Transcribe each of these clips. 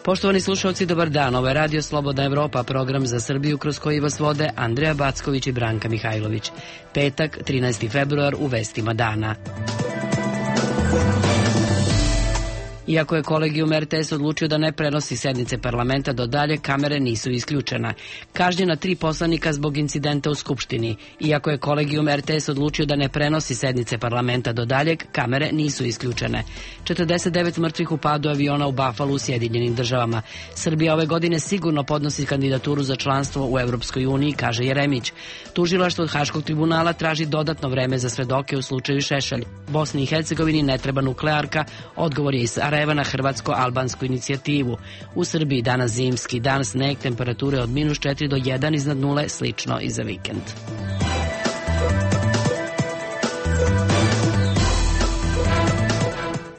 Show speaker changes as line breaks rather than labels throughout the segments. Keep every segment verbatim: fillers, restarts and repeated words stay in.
Poštovani slušalci, dobar dan. Ovo je Radio Slobodna Evropa, program za Srbiju kroz koji vas vode Andreja Backović i Branka Mihajlović. Petak, trinaesti februar, u vestima dana. Iako je kolegijum er te es odlučio da ne prenosi sednice parlamenta do dalje, kamere nisu isključena. Kažnjena tri poslanika zbog incidenta u Skupštini. Iako je kolegijum er te es odlučio da ne prenosi sednice parlamenta do daljeg, kamere nisu isključene. četrdeset devet mrtvih u padu aviona u Buffalo u Sjedinjenim državama. Srbija ove godine sigurno podnosi kandidaturu za članstvo u Evropskoj uniji, kaže Jeremić. Tužilaštvo od Haškog tribunala traži dodatno vreme za svedoke u slučaju Šešelj. Bosni i Hercegovini ne treba nuklearka, odgovor je iz Sarajeva na hrvatsko-albansku inicijativu. U Srbiji danas zimski dan, sneg, temperature od minus četiri do jedan iznad nule, slično i za vikend.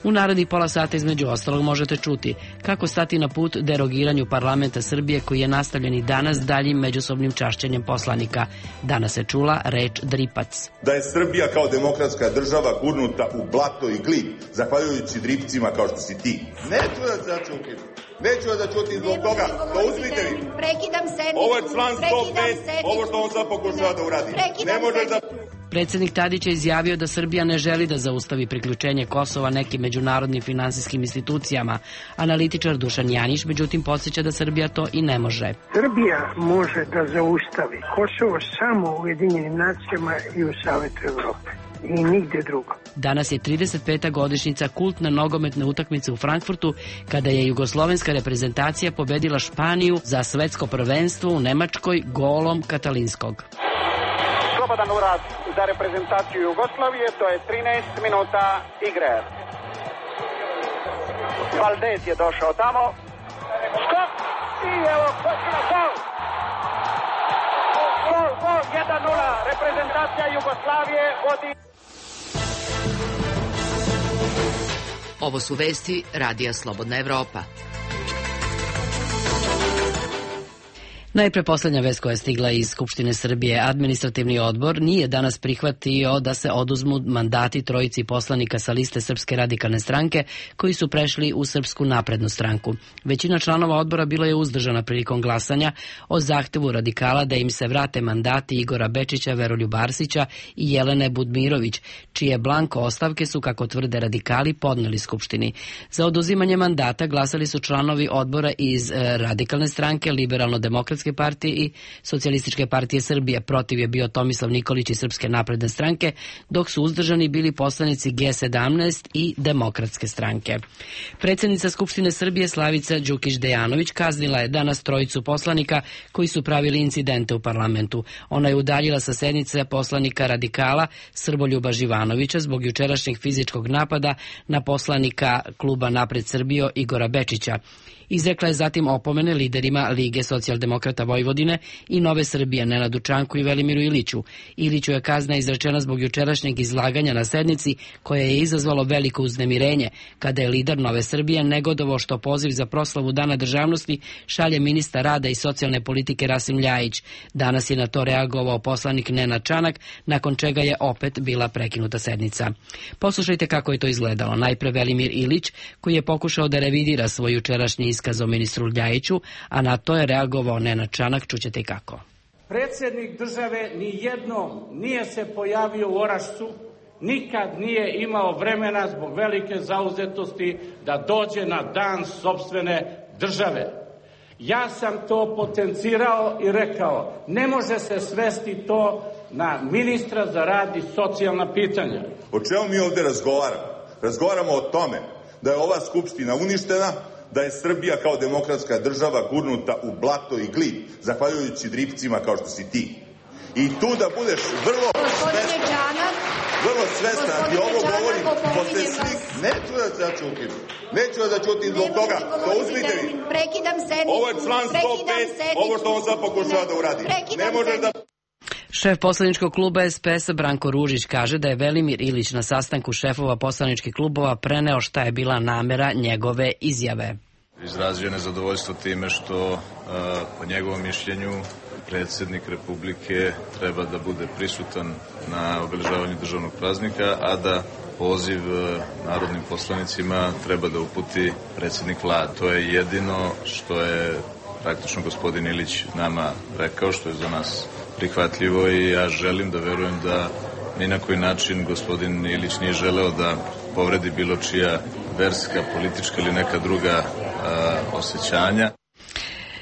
U narednih pola sata između ostalog možete čuti kako stati na put derogiranju parlamenta Srbije koji je nastavljen i danas daljim međusobnim čašćenjem poslanika. Danas se čula reč dripac.
Da je Srbija kao demokratska država gurnuta u blato i glib, zahvaljujući dripcima kao što si ti. Neću da se začutim. Neću da čutim zbog toga. To uzmite vi.
Prekidam sednicu.
Ovo je član sto pet. Ovo što on sad pokušava da uradi. Ne može da...
Predsjednik Tadić je izjavio da Srbija ne želi da zaustavi priključenje Kosova nekim međunarodnim finansijskim institucijama. Analitičar Dušan Janić, međutim, podsjeća da Srbija to i ne može.
Srbija može da zaustavi Kosovo samo u Ujedinjenim nacijama i u Savetu Evrope. I nigde drugo.
Danas je trideset peta godišnjica kultne nogometne utakmice u Frankfurtu, kada je jugoslovenska reprezentacija pobedila Španiju za svetsko prvenstvo u Nemačkoj golom Katalinskog.
Slobodan urad za reprezentaciju Jugoslavije, to je trinaest minuta igre. Valdez je došao tamo. Skok! I evo, gol! Gol, gol, jedan nula. Reprezentacija Jugoslavije vodi.
Ovo su vesti Radija Slobodna Evropa.
Najpre poslednja vest koja je stigla iz Skupštine Srbije. Administrativni odbor nije danas prihvatio da se oduzmu mandati trojici poslanika sa liste Srpske radikalne stranke koji su prešli u Srpsku naprednu stranku. Većina članova odbora bila je uzdržana prilikom glasanja o zahtevu radikala da im se vrate mandati Igora Bečića, Veroljuba Arsića i Jelene Budmirović, čije blanko ostavke su, kako tvrde radikali, podneli Skupštini. Za oduzimanje mandata glasali su članovi odbora iz radikalne stranke, liberalno-demokratske partije i Socijalističke partije Srbije. Protiv je bio Tomislav Nikolić iz Srpske napredne stranke, dok su uzdržani bili poslanici ge sedamnaest i Demokratske stranke. Predsjednica Skupštine Srbije Slavica Đukić-Dejanović kaznila je danas trojicu poslanika koji su pravili incidente u parlamentu. Ona je udaljila sa sednice poslanika radikala Srboljuba Živanovića zbog jučerašnjeg fizičkog napada na poslanika kluba Napred Srbijo Igora Bečića. Izrekla je zatim opomene liderima Lige socijaldemokrata Vojvodine i Nove Srbije Nenadu Čanku i Velimiru Iliću. Iliću je kazna izrečena zbog jučerašnjeg izlaganja na sednici koje je izazvalo veliko uznemirenje, kada je lider Nove Srbije negodovao što poziv za proslavu Dana državnosti šalje ministar rada i socijalne politike Rasim Ljajić. Danas je na to reagovao poslanik Nenad Čanak, nakon čega je opet bila prekinuta sednica. Poslušajte kako je to izgledalo. Najpre Velimir Ilić, koji je pokušao da revidira svoj jučerašnji iskaz o ministru Ljajiću, a na to je reagovao Nenad Čanak, čućete i kako.
Predsjednik države ni jednom nije se pojavio u Orašcu, nikad nije imao vremena zbog velike zauzetosti da dođe na dan sopstvene države. Ja sam to potencirao i rekao, ne može se svesti to na ministra za rad i socijalna pitanja.
O čemu mi ovde razgovaramo? Razgovaramo o tome da je ova skupština uništena, da je Srbija kao demokratska država gurnuta u blato i glib, zahvaljujući dripcima kao što si ti. I tu da budeš vrlo svestan, vrlo svestan, i ovo govorim posle svih, neću da se začutim, neću da čutim zbog toga, to uzmite vi.
Prekidam sednicu.
Ovo je član sto pet, ovo što on sad pokušava da uradi. Ne može da...
Šef poslaničkog kluba es pe es a Branko Ružić kaže da je Velimir Ilić na sastanku šefova poslaničkih klubova preneo šta je bila namera njegove izjave.
Izrazio je nezadovoljstvo time što, po njegovom mišljenju, predsjednik Republike treba da bude prisutan na obeležavanju državnog praznika, a da poziv narodnim poslanicima treba da uputi predsjednik vlade. To je jedino što je praktično gospodin Ilić nama rekao, što je za nas prihvatljivo i ja želim da verujem da ni na koji način gospodin Ilić nije želeo da povredi bilo čija verska, politička ili neka druga a, osjećanja.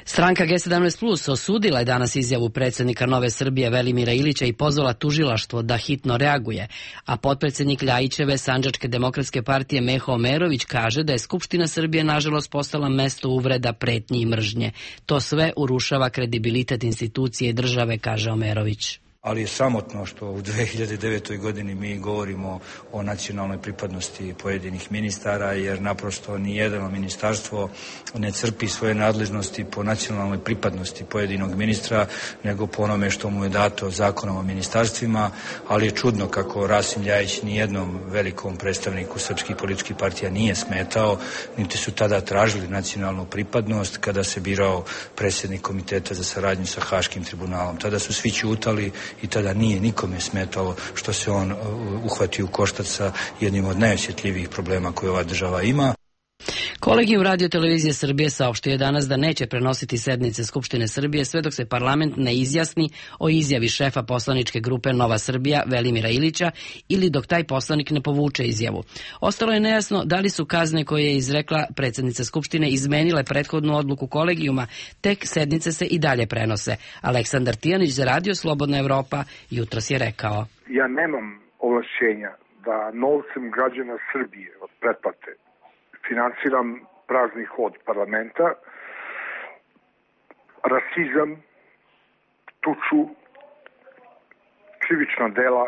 Stranka G sedamnaest plus osudila je danas izjavu predsjednika Nove Srbije Velimira Ilića i pozvala tužilaštvo da hitno reaguje, a potpredsjednik Ljajićeve Sandžačke demokratske partije Meho Omerović kaže da je Skupština Srbije nažalost postala mesto uvreda, pretnji i mržnje. To sve urušava kredibilitet institucije i države, kaže Omerović.
Ali je sramotno što u dve hiljade devetoj godini mi govorimo o nacionalnoj pripadnosti pojedinih ministara, jer naprosto nijedno ministarstvo ne crpi svoje nadležnosti po nacionalnoj pripadnosti pojedinog ministra, nego po onome što mu je dato zakonom o ministarstvima, ali je čudno kako Rasim Ljajić nijednom velikom predstavniku srpskih političkih partija nije smetao, niti su tada tražili nacionalnu pripadnost kada se birao predsjednik Komiteta za saradnju sa Haškim tribunalom. Tada su svi ćutali i tada nije nikome smetalo što se on uhvatio u koštac sa jednim od najosjetljivijih problema koje ova država ima.
Kolegijum Radio televizije Srbije saopštio je danas da neće prenositi sednice Skupštine Srbije sve dok se parlament ne izjasni o izjavi šefa poslaničke grupe Nova Srbija Velimira Ilića ili dok taj poslanik ne povuče izjavu. Ostalo je nejasno da li su kazne koje je izrekla predsjednica Skupštine izmenile prethodnu odluku kolegijuma, tek sednice se i dalje prenose. Aleksandar Tijanić za Radio Slobodna Evropa jutros je rekao:
Ja nemam ovlašćenja da novcem građana Srbije od pretplate financiram prazni hod parlamenta, rasizam, tuču, krivična dela,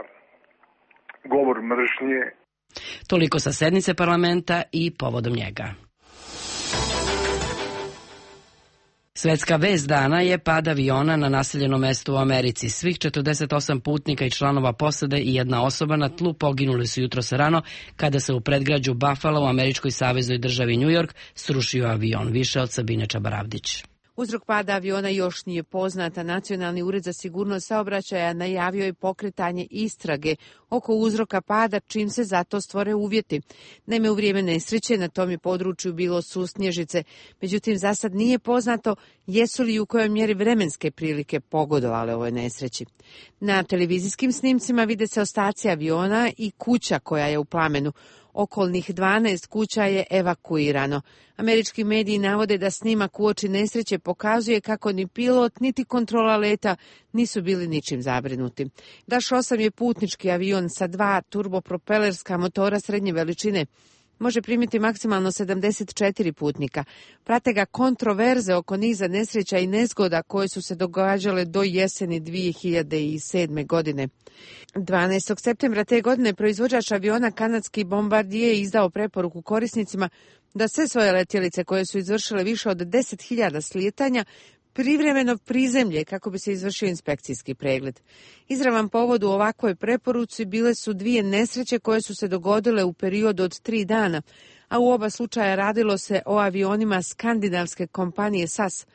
govor mržnje.
Toliko sa sednice parlamenta i povodom njega. Svetska vest dana je pad aviona na naseljenom mestu u Americi. Svih četrdeset osam putnika i članova posade i jedna osoba na tlu poginuli su jutros rano kada se u predgrađu Buffalo u američkoj saveznoj državi New York srušio avion. Više od Sabine Čabaravdić.
Uzrok pada aviona još nije poznata. Nacionalni ured za sigurnost saobraćaja najavio je pokretanje istrage oko uzroka pada čim se zato stvore uvjeti. Naime, u vrijeme nesreće na tom je području bilo susnježice, međutim za sad nije poznato jesu li u kojoj mjeri vremenske prilike pogodovale ovoj nesreći. Na televizijskim snimcima vide se ostaci aviona i kuća koja je u plamenu. Okolnih dvanaest kuća je evakuirano. Američki mediji navode da snimak uoči nesreće pokazuje kako ni pilot niti kontrola leta nisu bili ničim zabrinuti. Daš osam je putnički avion sa dva turbopropelerska motora srednje veličine. Može primiti maksimalno sedamdeset četiri putnika. Prate ga kontroverze oko niza nesreća i nezgoda koje su se događale do jeseni dvije hiljade sedme. godine. dvanaestog septembra te godine proizvođač aviona kanadski Bombardier je izdao preporuku korisnicima da sve svoje letjelice koje su izvršile više od deset hiljada slijetanja privremeno prizemlje kako bi se izvršio inspekcijski pregled. Izravan povod u ovakvoj preporuci bile su dvije nesreće koje su se dogodile u periodu od tri dana, a u oba slučaja radilo se o avionima skandinavske kompanije S A S.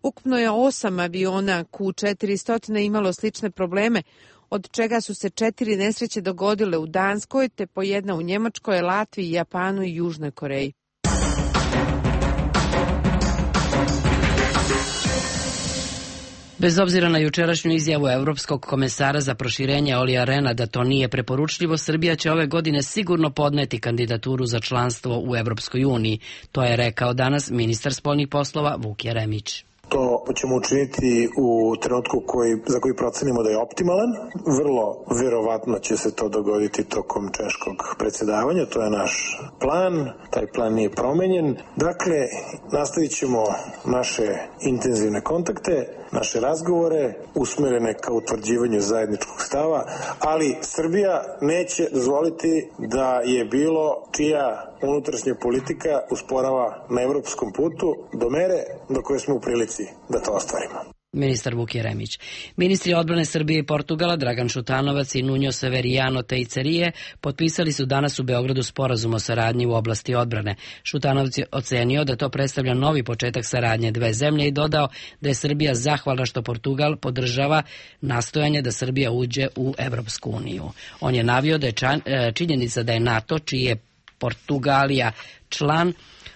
Ukupno je osam aviona Q četiristo imalo slične probleme, od čega su se četiri nesreće dogodile u Danskoj, te po jedna u Njemačkoj, Latviji, Japanu i Južnoj Koreji.
Bez obzira na jučerašnju izjavu Evropskog komesara za proširenje Olija Rehna da to nije preporučljivo, Srbija će ove godine sigurno podneti kandidaturu za članstvo u Evropskoj uniji. To je rekao danas ministar spoljnih poslova Vuk Jeremić.
To ćemo učiniti u trenutku koji, za koji procenimo da je optimalan. Vrlo verovatno će se to dogoditi tokom češkog predsjedavanja. To je naš plan. Taj plan nije promenjen. Dakle, nastavit ćemo naše intenzivne kontakte, naše razgovore usmerene ka utvrđivanju zajedničkog stava, ali Srbija neće dozvoliti da je bilo čija unutrašnja politika usporava na evropskom putu do mere do koje smo u prilici da to ostvarimo.
ministar Vuk Jeremić. Ministri odbrane Srbije i Portugala Dragan Šutanovac i Nuno Severiano Teicerije potpisali su danas u Beogradu sporazum o saradnji u oblasti odbrane. Šutanovac je ocenio da to predstavlja novi početak saradnje dve zemlje i dodao da je Srbija zahvalna što Portugal podržava nastojanje da Srbija uđe u Evropsku uniju. On je navio da je činjenica da je NATO, čiji je Portugalija član,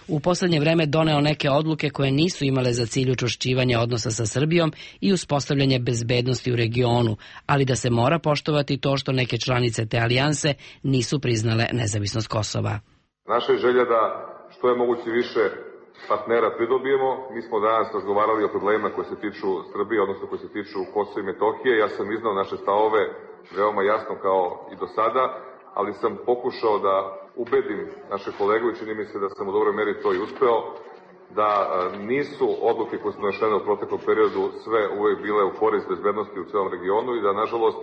u poslednje vreme doneo neke odluke koje nisu imale za cilj učvršćivanje odnosa sa Srbijom i uspostavljanje bezbednosti u regionu, ali da se mora poštovati to što neke članice te alijanse nisu priznale nezavisnost Kosova.
Naša je želja da što je moguće više partnera pridobijemo. Mi smo danas razgovarali o problemima koje se tiču Srbije, odnosno koje se tiču Kosova i Metohije. Ja sam iznao naše stavove veoma jasno kao i do sada, ali sam pokušao da ubedim naše kolege i čini mi se da sam u dobroj meri to i uspeo, da nisu odluke koje su donešene u proteklom periodu sve uvek bile u korist bezbednosti u celom regionu i da, nažalost,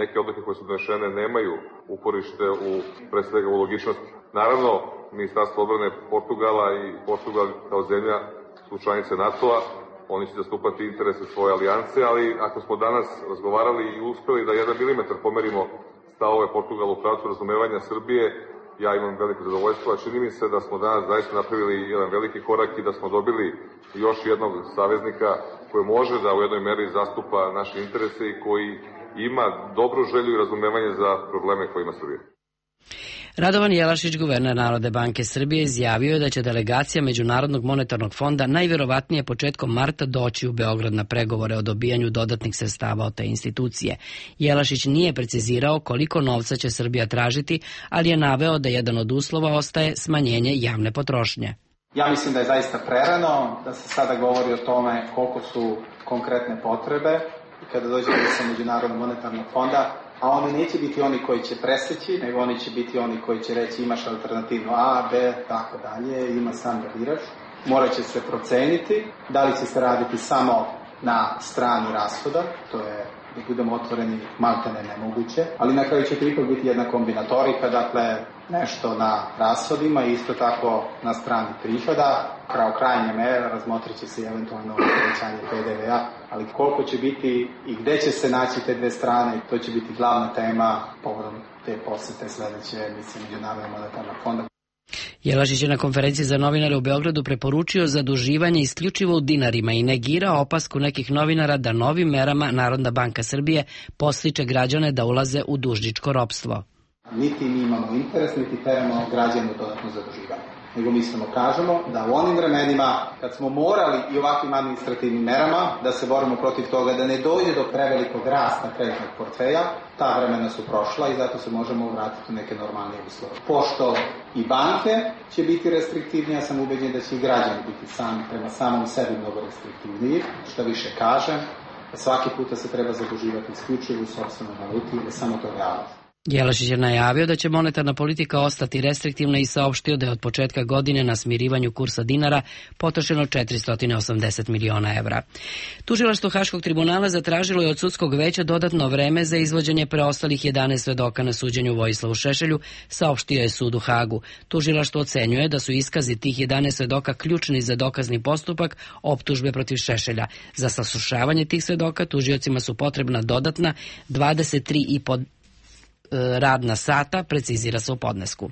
neke odluke koje su donešene nemaju uporište u, pre svega, u logičnosti. Naravno, Ministarstvo odbrane Portugala i Portugal kao zemlja su članice NATO-a, oni će zastupati interese svoje alijanse, ali ako smo danas razgovarali i uspeli da jedan milimetar pomerimo stavove Portugala u pravcu razumevanja Srbije, ja imam veliko zadovoljstvo, a čini mi se da smo danas zaista napravili jedan veliki korak i da smo dobili još jednog saveznika koji može da u jednoj meri zastupa naše interese i koji ima dobru želju i razumevanje za probleme koje ima Srbija.
Radovan Jelašić, guverner Narodne banke Srbije, izjavio je da će delegacija Međunarodnog monetarnog fonda najverovatnije početkom marta doći u Beograd na pregovore o dobijanju dodatnih sredstava od te institucije. Jelašić nije precizirao koliko novca će Srbija tražiti, ali je naveo da jedan od uslova ostaje smanjenje javne potrošnje.
Ja mislim da je zaista prerano da se sada govori o tome koliko su konkretne potrebe i kada dođemo sa Međunarodnog monetarnog fonda, a oni neće biti oni koji će preseći, nego oni će biti oni koji će reći imaš alternativu A, B, tako dalje, ima sam da biraš. Morat će se proceniti da li će se raditi samo na strani rashoda, to je, da budemo otvoreni, maltene nemoguće, ali na kraju će to ipak biti jedna kombinatorika, dakle nešto na rashodima i isto tako na strani prihoda. Kao krajnje mere razmotrit će se eventualno povećanje P D V-a, ali koliko će biti i gde će se naći te dve strane, to će biti glavna tema povodom te posete sledeće emisije Međunarodnog monetarnog fonda.
Jelašić je na konferenciji za novinare u Beogradu preporučio zaduživanje isključivo u dinarima i negirao opasku nekih novinara da novim merama Narodna banka Srbije podstiče građane da ulaze u dužničko ropstvo.
Niti mi imamo interes, niti teramo građane dodatno zaduživanje. Nego mi samo kažemo da u onim vremenima kad smo morali i ovakvim administrativnim merama da se borimo protiv toga da ne dođe do prevelikog rasta kreditnog portfelja, ta vremena su prošla i zato se možemo vratiti u neke normalne uslove. Pošto i banke će biti restriktivnije, ja sam ubeđen da će i građani biti sami prema samom sebi mnogo restriktivniji. Što više kažem, svaki puta se treba zaduživati isključivo u sopstvenoj valuti, jer samo to realnost.
Jelašić je najavio da će monetarna politika ostati restriktivna i saopštio da je od početka godine na smirivanju kursa dinara potrošeno četiristo osamdeset miliona evra. Tužilaštvo Haškog tribunala zatražilo je od sudskog veća dodatno vreme za izvođenje preostalih jedanaest svedoka na suđenju Vojislavu Šešelju, saopštio je sud u Hagu. Tužilaštvo ocenjuje da su iskazi tih jedanaest svedoka ključni za dokazni postupak optužbe protiv Šešelja. Za saslušavanje tih svedoka tužiocima su potrebna dodatna dvadeset tri i po radna sata, precizira se u podnesku.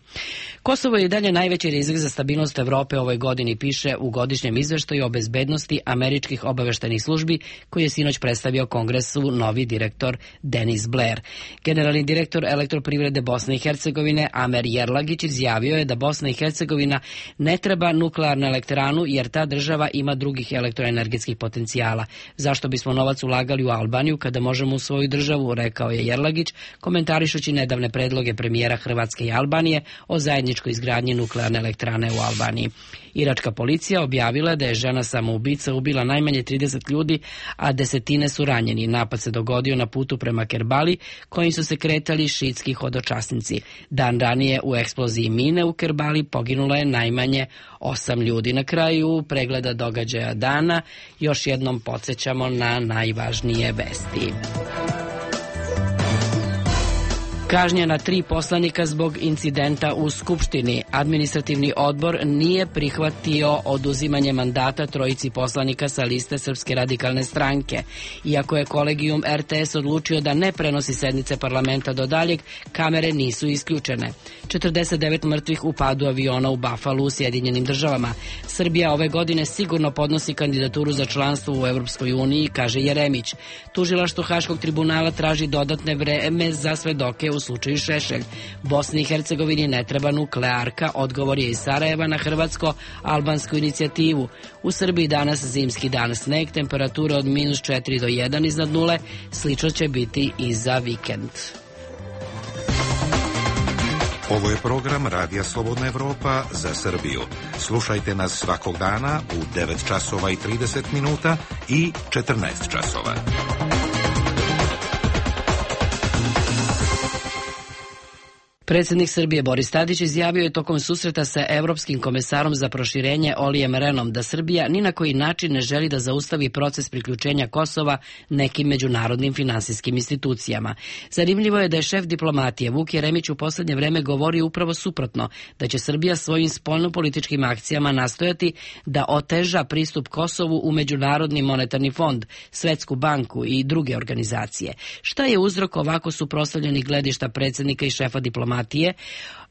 Kosovo je i dalje najveći rizik za stabilnost Evrope ovoj godini, piše u godišnjem izveštaju o bezbednosti američkih obaveštajnih službi koji je sinoć predstavio Kongresu novi direktor Denis Blair. Generalni direktor Elektroprivrede Bosne i Hercegovine Amer Jerlagić izjavio je da Bosna i Hercegovina ne treba nuklearnu elektranu jer ta država ima drugih elektroenergetskih potencijala. Zašto bismo novac ulagali u Albaniju kada možemo u svoju državu, rekao je Jerlagić, komentarišući nedavne predloge premijera Hrvatske i Albanije o zajedničkoj izgradnji nuklearne elektrane u Albaniji. Iračka policija objavila da je žena samoubica ubila najmanje trideset ljudi, a desetine su ranjeni. Napad se dogodio na putu prema Kerbali, kojim su se kretali šiitski hodočasnici. Dan ranije u eksploziji mine u Kerbali poginulo je najmanje osam ljudi. Na kraju pregleda događaja dana još jednom podsjećamo na najvažnije vesti. Kažnjena tri poslanika zbog incidenta u Skupštini. Administrativni odbor nije prihvatio oduzimanje mandata trojici poslanika sa liste Srpske radikalne stranke. Iako je kolegijum R T S odlučio da ne prenosi sednice parlamenta do daljeg, kamere nisu isključene. četrdeset devet mrtvih u padu aviona u Buffalo u Sjedinjenim državama. Srbija ove godine sigurno podnosi kandidaturu za članstvo u Evropskoj uniji, kaže Jeremić. Tužilaštvo Haškog tribunala traži dodatne vreme za svedoke u slučaju Šešelj. Bosni i Hercegovini ne treba nuklearka, odgovor je iz Sarajeva na hrvatsko-albansku inicijativu. U Srbiji danas zimski dan, sneg, temperatura od minus četiri do jedan iznad nule, slično će biti i za vikend.
Ovo je program Radija Slobodna Evropa za Srbiju. Slušajte nas svakog dana u devet časova i trideset minuta i četrnaest časova.
Predsjednik Srbije Boris Tadić izjavio je tokom susreta sa Evropskim komesarom za proširenje Olijem Renom da Srbija ni na koji način ne želi da zaustavi proces priključenja Kosova nekim međunarodnim finansijskim institucijama. Zanimljivo je da je šef diplomatije Vuk Jeremić u poslednje vreme govorio upravo suprotno, da će Srbija svojim spoljnopolitičkim akcijama nastojati da oteža pristup Kosovu u Međunarodni monetarni fond, Svetsku banku i druge organizacije. Šta je uzrok ovako suprotstavljenih gledišta predsjednika i šefa diplomatije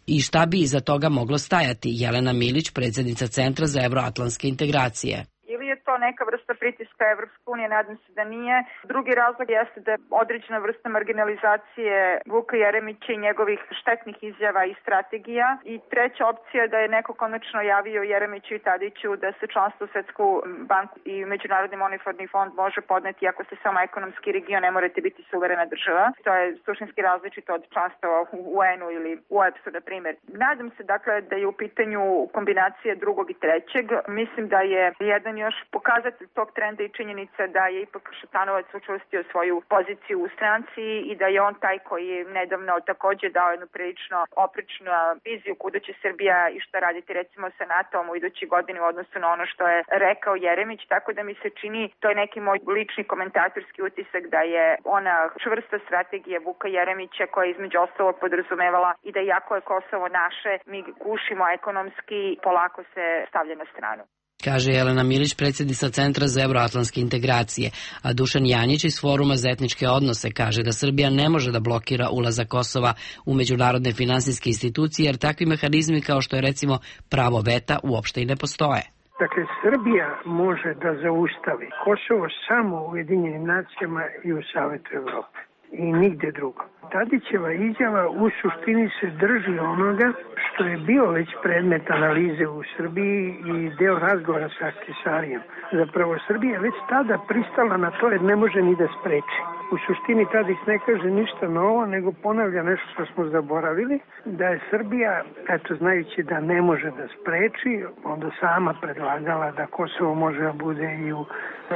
i šta bi iza toga moglo stajati? Jelena Milić, predsjednica Centra za evroatlantske integracije.
Ili je to neka vrsta pritiska Evropske unije, nadam se da nije. Drugi razlog jeste da je određena vrsta marginalizacije Vuka Jeremića i njegovih štetnih izjava i strategija. I treća opcija je da je neko konačno javio Jeremiću i Tadiću da se članstvo u Svetsku banku i Međunarodni monetarni fond može podneti ako ste samo ekonomski region, ne morate biti suverena država. To je suštinski različito od članstva u U N-u ili u O E B S-u, na primjer. Nadam se dakle da je u pitanju kombinacija drugog i trećeg. Mislim da je jedan još pokazatelj tog trenda i činjenica da je ipak Šutanovac učvrstio svoju poziciju u stranci i da je on taj koji je nedavno također dao jednu prilično oprečnu viziju kuda će Srbija i šta raditi recimo sa NATO-om u idućoj godini u odnosu na ono što je rekao Jeremić, tako da mi se čini, to je neki moj lični komentatorski utisak, da je ona čvrsta strategija Vuka Jeremića koja je između ostalog podrazumevala i da iako je Kosovo naše, mi gušimo ekonomski, polako se stavlja na stranu.
Kaže Jelena Milić, predsjednica Centra za evroatlantske integracije, a Dušan Janjić iz Foruma za etničke odnose kaže da Srbija ne može da blokira ulazak Kosova u međunarodne finansijske institucije, jer takvi mehanizmi kao što je recimo pravo veta uopšte i ne postoje.
Dakle, Srbija može da zaustavi Kosovo samo u Ujedinjenim nacijama i u Savetu Evrope i nigde drugo. Tadićeva izjava u suštini se drži onoga što je bio već predmet analize u Srbiji i deo razgovora sa Ahtisarijem. Zapravo Srbija već tada pristala na to jer ne može ni da spreči. U suštini Tadić ne kaže ništa novo, nego ponavlja nešto što smo zaboravili, da je Srbija, eto znajući da ne može da spreči, onda sama predlagala da Kosovo može da bude i u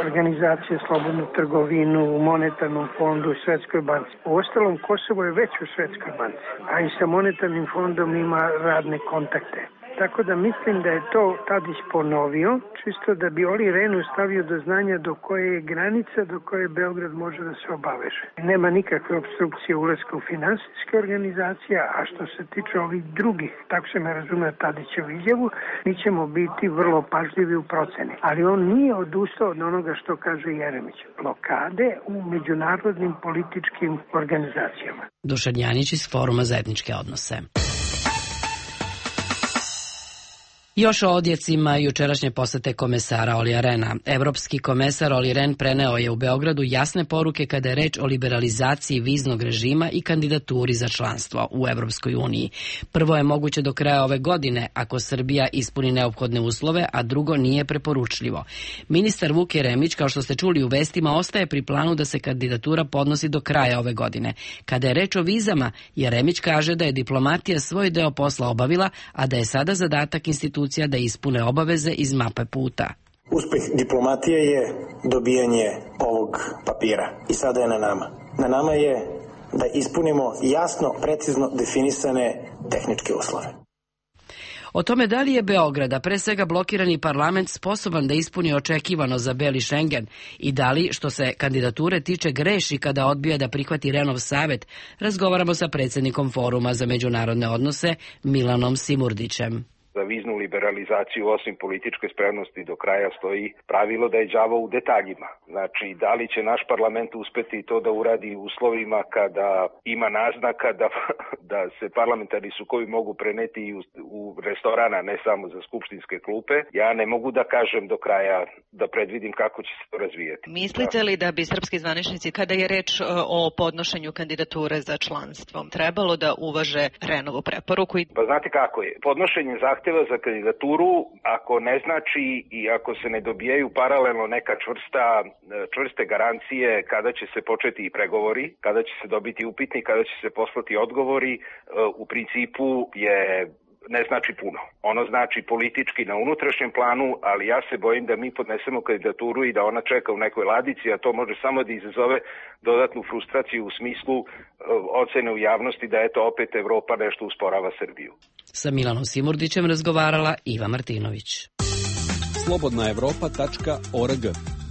organizacije slobodnu trgovinu, u monetarnom fondu, u Svetskoj banci. U ostalom, Kosovo je već u Svetskoj banci, a i sa monetarnim fondom ima radne kontakte. Tako da mislim da je to Tadić ponovio, čisto da bi Oli Renu stavio do znanja do koje je granica, do koje Beograd može da se obaveže. Nema nikakve obstrukcije ulaska u finansijske organizacije, a što se tiče ovih drugih, tako se me razume Tadićevu izjavu, mi ćemo biti vrlo pažljivi u proceni. Ali on nije odustao od onoga što kaže Jeremić. Blokade u međunarodnim političkim organizacijama.
Dušan Janić iz Foruma za etničke odnose. Još o odjecima jučerašnje posete komesara Olija Rena. Evropski komesar Oli Ren preneo je u Beogradu jasne poruke kada je reč o liberalizaciji viznog režima i kandidaturi za članstvo u Evropskoj uniji. Prvo je moguće do kraja ove godine ako Srbija ispuni neophodne uslove, a drugo nije preporučljivo. Ministar Vuk Jeremić, kao što ste čuli u vestima, ostaje pri planu da se kandidatura podnosi do kraja ove godine. Kada je reč o vizama, Jeremić kaže da je diplomatija svoj deo posla obavila, a da je sada zadatak institucija da ispune obaveze iz mape puta.
Uspeh diplomatije je dobijanje ovog papira i sada je na nama. Na nama je da ispunimo jasno, precizno definisane tehničke uslove.
O tome da li je Beograd, a pre svega blokirani parlament, sposoban da ispuni očekivano za Beli Šengen i da li, što se kandidature tiče, greši kada odbija da prihvati Renov savet, razgovaramo sa predsjednikom Foruma za međunarodne odnose Milanom Simurdićem.
Za viznu liberalizaciju, osim političke spremnosti, do kraja stoji pravilo da je đavo u detaljima. Znači, da li će naš parlament uspeti to da uradi u uslovima kada ima naznaka da, da se parlamentarni sukovi mogu preneti u, u restorana, ne samo za skupštinske klupe, ja ne mogu da kažem do kraja, da predvidim kako će se to razvijeti.
Mislite li da bi srpski zvaničnici, kada je reč o podnošenju kandidature za članstvo, trebalo da uvaže Renovu preporuku?
Pa znate kako je, podnošenje zahteva za kandidaturu, ako ne znači i ako se ne dobijaju paralelno neka čvrsta, čvrste garancije kada će se početi i pregovori, kada će se dobiti upitnik, kada će se poslati odgovori, u principu je ne znači puno. Ono znači politički na unutrašnjem planu, ali ja se bojim da mi podnesemo kandidaturu i da ona čeka u nekoj ladici, a to može samo da izazove dodatnu frustraciju u smislu ocene u javnosti da eto opet Evropa nešto usporava Srbiju.
Sa Milanom Simurdićem razgovarala Iva Martinović.
slobodna evropa tačka org.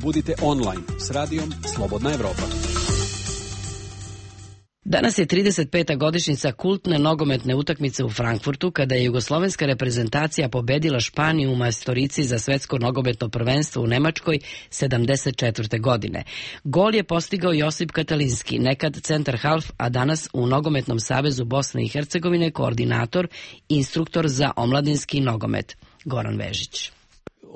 Budite online s radijom Slobodna Evropa.
Danas je trideset peta godišnjica kultne nogometne utakmice u Frankfurtu, kada je jugoslovenska reprezentacija pobedila Španiju u majstorici za svetsko nogometno prvenstvo u Nemačkoj sedamdeset četvrte. godine. Gol je postigao Josip Katalinski, nekad centar half, a danas u Nogometnom savezu Bosne i Hercegovine koordinator, instruktor za omladinski nogomet. Goran Vežić.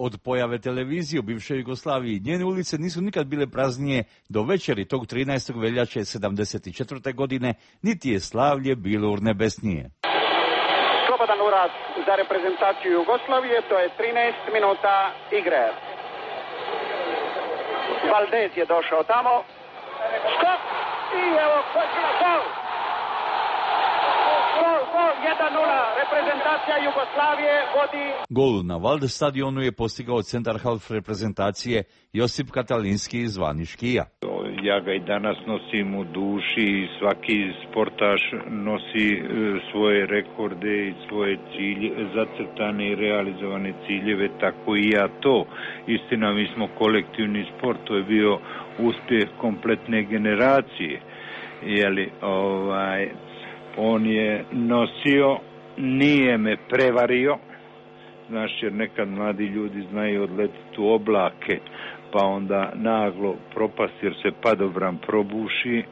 Od pojave televizije u bivšoj Jugoslaviji njene ulice nisu nikad bile praznije do večeri tog trinaestog veljače sedamdeset četvrte. godine, niti je slavlje bilo urnebesnije.
Slobodan urad za reprezentaciju Jugoslavije, to je trinaest minuta igre. Valdez je došao tamo. Skok! I evo, gol! Gol, gol, jedan nula, reprezentacija Jugoslavije vodi.
Gol na Valdez stadionu je postigao centar half reprezentacije Josip Katalinski zvani Škija.
Ja ga i danas nosim u duši i svaki sportaš nosi svoje rekorde i svoje cilje, zacrtane i realizovane ciljeve, tako i ja to. Istina, mi smo kolektivni sport, to je bio uspjeh kompletne generacije. Jeli, ovaj... On je nosio, nije me prevario, znaš, jer nekad mladi ljudi znaju odletiti u oblake, pa onda naglo propast jer se padobran probuši.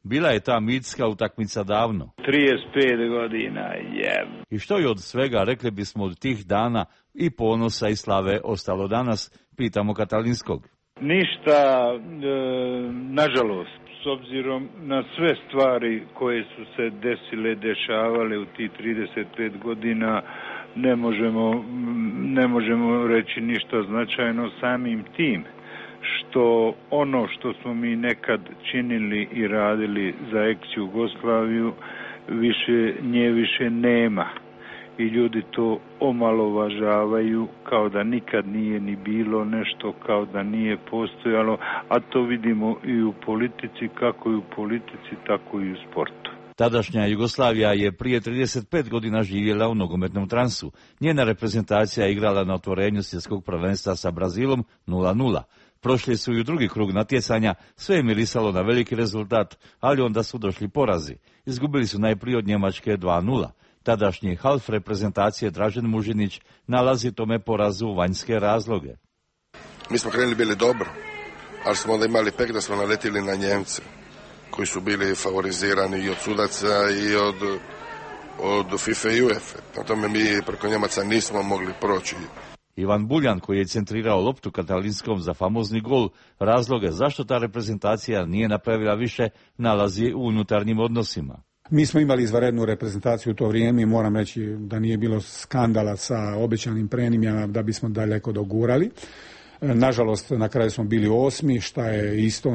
Bila je ta mitska utakmica davno.
trideset pet godina, je.
I što je od svega, rekli bismo, od tih dana i ponosa i slave ostalo danas, pitamo Katalinskog.
Ništa, e, nažalost. S obzirom na sve stvari koje su se desile, dešavale u tih trideset pet godina, ne možemo, ne možemo reći ništa značajno samim tim, što ono što smo mi nekad činili i radili za ex-Jugoslaviju, više, nje više nema. I ljudi to omalovažavaju kao da nikad nije ni bilo nešto, kao da nije postojalo, a to vidimo i u politici, kako i u politici, tako i u sportu.
Tadašnja Jugoslavija je prije trideset pet godina živjela u nogometnom transu. Njena reprezentacija je igrala na otvorenju svjetskog prvenstva sa Brazilom nula nula. Prošli su i u drugi krug natjecanja, sve je mirisalo na veliki rezultat, ali onda su došli porazi. Izgubili su najprije od Njemačke dva nula. Tadašnji half reprezentacije Dražen Mužinić nalazi tome porazu vanjske razloge.
Mi smo krenuli bili dobro, ali smo onda imali pek da smo naletili na Njemce, koji su bili favorizirani i od sudaca i od, od FIFA i UEFA. Na tome mi preko Njemaca nismo mogli proći.
Ivan Buljan, koji je centrirao loptu Katalinskom za famozni gol, razloge zašto ta reprezentacija nije napravila više, nalazi u unutarnjim odnosima.
Mi smo imali izvanrednu reprezentaciju u to vrijeme i moram reći da nije bilo skandala sa obećanim premijama da bismo daleko dogurali. Nažalost, na kraju smo bili osmi, šta je isto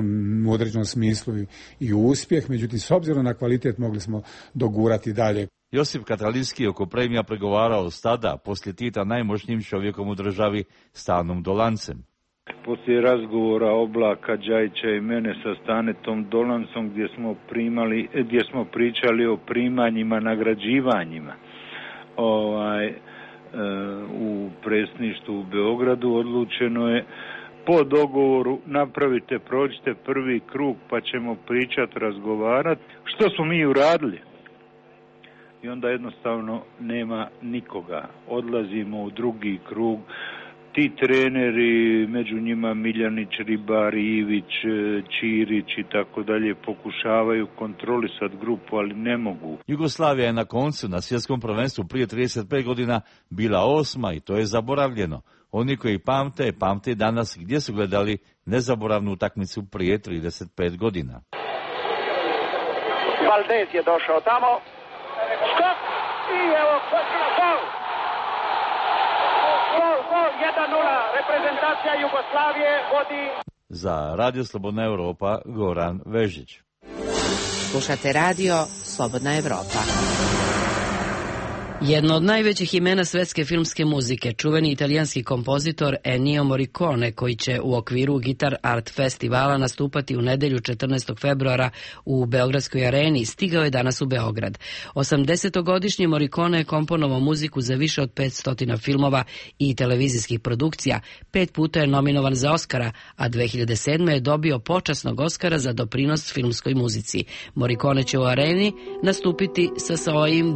u određenom smislu i uspjeh, međutim, s obzirom na kvalitet mogli smo dogurati dalje.
Josip Katalinski oko premija pregovarao s tada, poslije Tita, najmoćnijim čovjekom u državi, Stanom Dolancem.
Poslije razgovora Oblaka, Đajića i mene sa Stanetom Dolancom, gdje smo, primali, gdje smo pričali o primanjima, nagrađivanjima, ovaj, u predsjedništvu u Beogradu odlučeno je po dogovoru napravite, prođite prvi krug pa ćemo pričati, razgovarati. Što smo mi uradili? I onda jednostavno nema nikoga. Odlazimo u drugi krug. Ti treneri, među njima Miljanić, Ribar, Ivić, Ćirić i tako dalje, pokušavaju kontrolisati grupu, ali ne mogu.
Jugoslavija je na koncu na svjetskom prvenstvu prije trideset pet godina bila osma i to je zaboravljeno. Oni koji pamte, pamte danas gdje su gledali nezaboravnu utakmicu prije trideset pet godina.
Valdez je došao tamo. Skok! I evo, gol! Gol, gol, jedan nula. Reprezentacija Jugoslavije vodi.
Za Radio Slobodna Evropa, Goran Vežić.
Slušate radio Slobodna Evropa.
Jedno od najvećih imena svetske filmske muzike, čuveni italijanski kompozitor Ennio Morricone, koji će u okviru Guitar Art Festivala nastupati u nedelju četrnaestog februara u Beogradskoj areni, stigao je danas u Beograd. osamdesetogodišnji Morricone je komponovao muziku za više od petsto filmova i televizijskih produkcija, pet puta je nominovan za Oskara, a dve hiljade sedme je dobio počasnog Oskara za doprinos filmskoj muzici. Morricone će u areni nastupiti sa svojim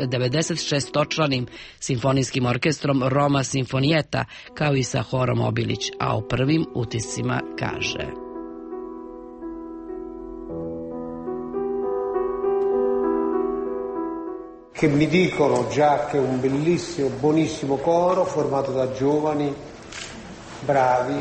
devedeset šestočlanim simfonijskim orkestrom Roma Sinfonietta, kao i sa Horom Obilić, a o prvim utiscima kaže:
Che mi dicono già che un bellissimo, buonissimo coro formato da giovani, bravi.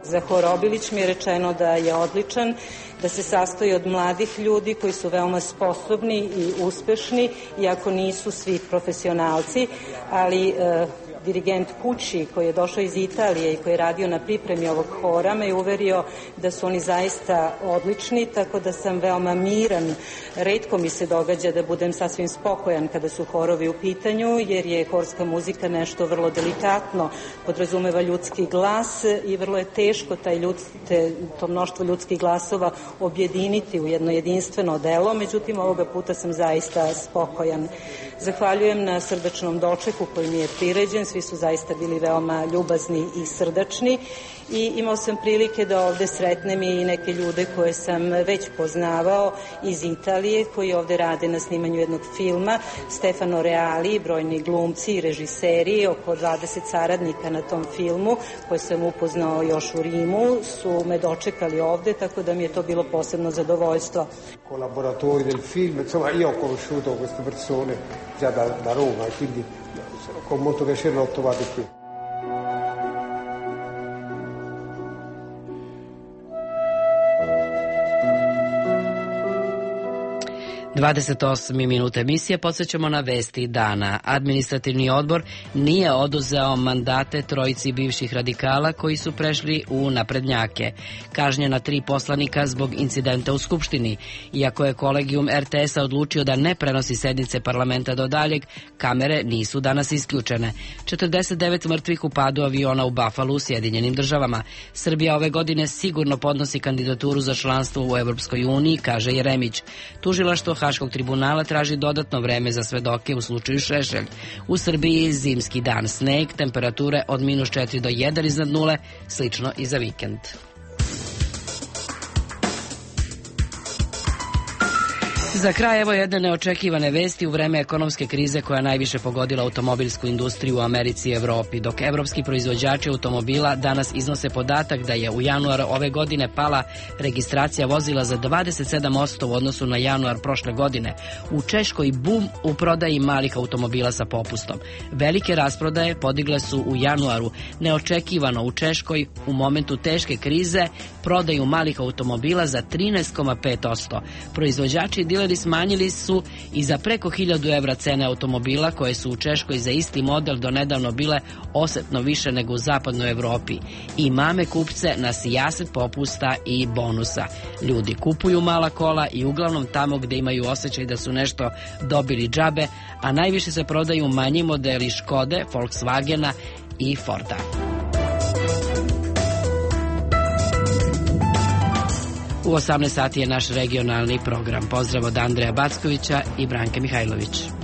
Za Hor Obilić mi je rečeno da je odličan, da se sastoji od mladih ljudi koji su veoma sposobni i uspešni, iako nisu svi profesionalci, ali e, dirigent Pucci, koji je došao iz Italije i koji je radio na pripremi ovog hora, me je uverio da su oni zaista odlični, tako da sam veoma miran. Retko mi se događa da budem sasvim spokojan kada su horovi u pitanju, jer je horska muzika nešto vrlo delikatno, podrazumeva ljudski glas i vrlo je teško taj ljud, te, to mnoštvo ljudskih glasova objediniti u jedno jedinstveno delo, međutim ovoga puta sam zaista spokojan. Zahvaljujem na srdačnom dočeku koji mi je priređen, svi su zaista bili veoma ljubazni i srdačni i imao sam prilike da ovde sretnem i neke ljude koje sam već poznavao iz Italije, koji ovde rade na snimanju jednog filma, Stefano Reali, brojni glumci i režiseri, oko dvadeset saradnika na tom filmu koje sam upoznao još u Rimu, su me dočekali ovde, tako da mi je to bilo posebno zadovoljstvo.
Collaboratori del film, insomma io ho conosciuto queste persone già da, da Roma e quindi con molto piacere l'ho trovato qui.
dvadeset osme minute emisije, podsjećamo na vesti dana. Administrativni odbor nije oduzeo mandate trojici bivših radikala koji su prešli u naprednjake. Kažnjena tri poslanika zbog incidenta u Skupštini. Iako je kolegijum er te es-a odlučio da ne prenosi sednice parlamenta do daljeg, kamere nisu danas isključene. četrdeset devet mrtvih u padu aviona u Buffalo u Sjedinjenim državama. Srbija ove godine sigurno podnosi kandidaturu za članstvo u Evropskoj uniji, kaže Jeremić. Tužilaštvo Haškog tribunala traži dodatno vreme za svedoke u slučaju Šešelj. U Srbiji zimski dan, sneg, temperature od minus četiri do jedan iznad nule, slično i za vikend. Za kraj evo jedne neočekivane vesti u vreme ekonomske krize koja najviše pogodila automobilsku industriju u Americi i Evropi, dok evropski proizvođači automobila danas iznose podatak da je u januaru ove godine pala registracija vozila za dvadeset sedam posto u odnosu na januar prošle godine. U Češkoj bum u prodaji malih automobila sa popustom. Velike rasprodaje podigle su u januaru. Neočekivano u Češkoj u momentu teške krize prodaju malih automobila za trinaest zarez pet posto. Proizvođači i dileri smanjili su i za preko hiljadu evra cene automobila koje su u Češkoj za isti model do nedavno bile osetno više nego u zapadnoj Evropi. I mame kupce na sijaset popusta i bonusa. Ljudi kupuju mala kola i uglavnom tamo gde imaju osjećaj da su nešto dobili džabe, a najviše se prodaju manji modeli Škode, Volkswagena i Forda. U osamnaest sati je naš regionalni program. Pozdrav od Andreja Backovića i Branke Mihajlović.